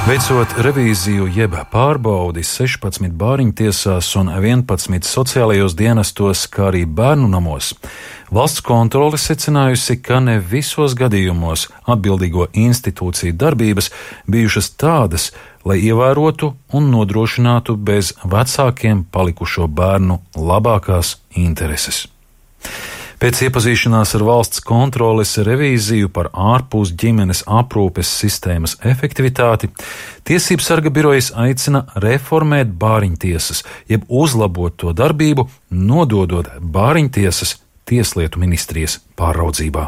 Veicot revīziju jeb pārbaudi 16 bāriņtiesās un 11 sociālajos dienestos, kā arī bērnu namos, valsts kontrole secinājusi, ka ne visos gadījumos atbildīgo institūciju darbības bijušas tādas, lai ievērotu un nodrošinātu bez vecākiem palikušo bērnu labākās intereses. Pēc iepazīšanās ar valsts kontroles revīziju par ārpus ģimenes aprūpes sistēmas efektivitāti, Tiesību sarga birojas aicina reformēt bāriņtiesas, jeb uzlabot to darbību, nododot bāriņtiesas Tieslietu ministrijas pāraudzībā.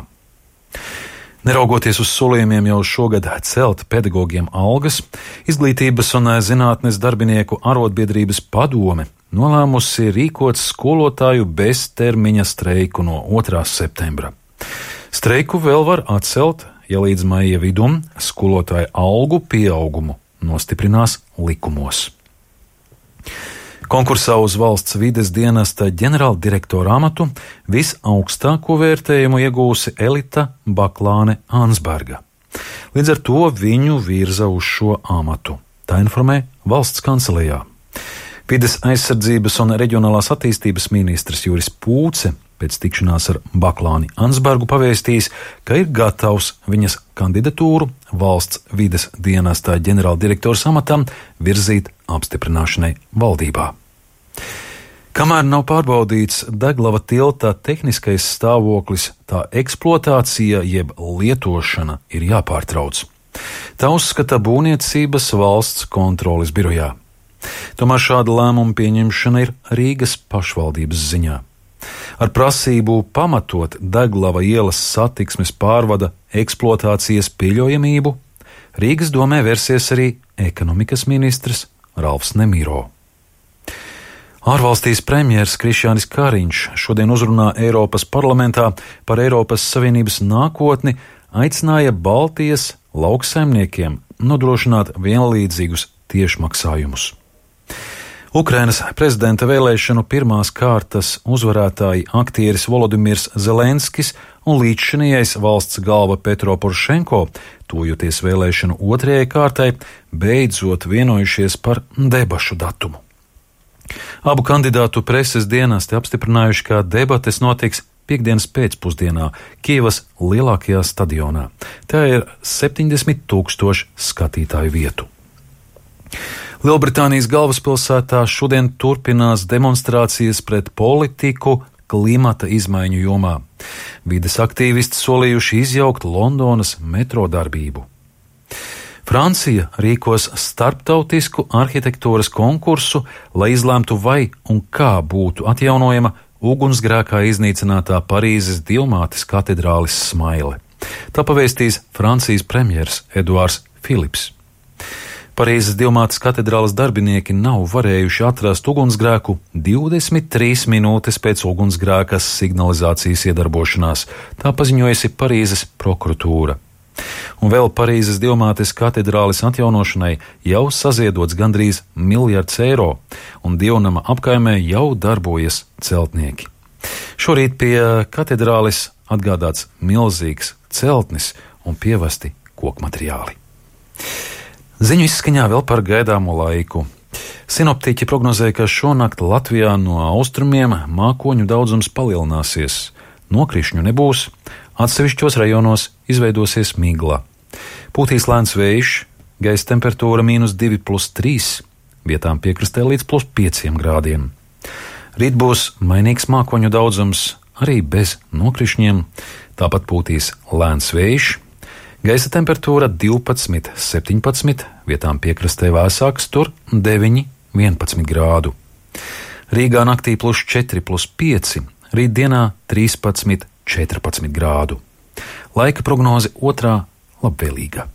Neraugoties uz solījumiem jau šogad celt pedagogiem algas, Izglītības un zinātnes darbinieku arotbiedrības padome nolēmusi rīkot skolotāju beztermiņa streiku no 2. septembra. Streiku vēl var atcelt, ja līdz maija vidum skolotāju algu pieaugumu nostiprinās likumos. Konkursā uz valsts vides dienesta ģenerāldirektora amatu visaugstāko vērtējumu iegūsi Elita Baklāne Ansberga. Līdz ar to viņu virza uz šo amatu. Tā informē valsts kancelejā. Vides aizsardzības un reģionālās attīstības ministrs Juris Pūce pēc tikšanās ar Baklāni Ansbergu pavēstījis, ka ir gatavs viņas kandidatūru valsts vides dienestā ģenerāldirektora amatam virzīt apstiprināšanai valdībā. Kamēr nav pārbaudīts Deglava tilta tehniskais stāvoklis, tā eksploatācija jeb lietošana ir jāpārtrauc. Tā uzskata būvniecības valsts kontroles birojā. Tomēr šāda lēmuma pieņemšana ir Rīgas pašvaldības ziņā. Ar prasību pamatot Deglava ielas satiksmes pārvada eksploatācijas pieļaujamību, Rīgas domē versies arī ekonomikas ministrs Ralfs Nemiro. Ārvalstīs premjers Krišjānis Kariņš šodien uzrunā Eiropas parlamentā par Eiropas Savienības nākotni, aicināja Baltijas lauksaimniekiem nodrošināt vienlīdzīgus tiešmaksājumus. Ukrainas prezidenta vēlēšanu pirmās kārtas uzvarētāji aktieris Volodimirs Zelenskis un līdzšinējais valsts galva Petro Porošenko, tuvojoties vēlēšanu otrajai kārtai, beidzot vienojušies par debašu datumu. Abu kandidātu preses dienesti apstiprinājuši, ka debates notiks piektdienas pēcpusdienā Kijevas lielākajā stadionā. Tā ir 70 000 skatītāju vietu. Lielbritānijas galvaspilsētā šodien turpinās demonstrācijas pret politiku klimata izmaiņu jomā. Vides aktīvisti solījuši izjaukt Londonas metro darbību. Francija rīkos starptautisku arhitektūras konkursu, lai izlemtu, vai un kā būtu atjaunojama ugunsgrēkā iznīcinātā Parīzes Dievmātes katedrālis smaile. Tā pavēstīs Francijas premjers Eduards Filips. Parīzes Dievmātes katedrāles darbinieki nav varējuši atrast ugunsgrēku 23 minūtes pēc ugunsgrēka signalizācijas iedarbošanās, tā paziņojusi Parīzes prokuratūra. Un vēl Parīzes Dievmātes katedrāles atjaunošanai jau saziedots gandrīz 1 miljards eiro, un Dievnama apkaimē jau darbojas celtnieki. Šorīt pie katedrāles atgādāts milzīgs celtnis un pievesti kokmateriāli. Ziņu izskaņā vēl par gaidāmo laiku. Sinoptiķi prognozēja, ka šonakt Latvijā no austrumiem mākoņu daudzums palielināsies. Nokrišņu nebūs, atsevišķos rajonos izveidosies migla. Pūtīs lēns vējš, gaisa temperatūra -2+3, vietām piekrastē līdz +5 grādiem. Rīt būs mainīgs mākoņu daudzums, arī bez nokrišņiem, tāpat pūtīs lēns vējš, gaisa temperatūra 12–17, vietām piekrastē vēsāks, tur 9–11 grādu. Rīgā naktī +4+5, rītdienā 13–14 grādu. Laika prognoze otrā labvēlīga.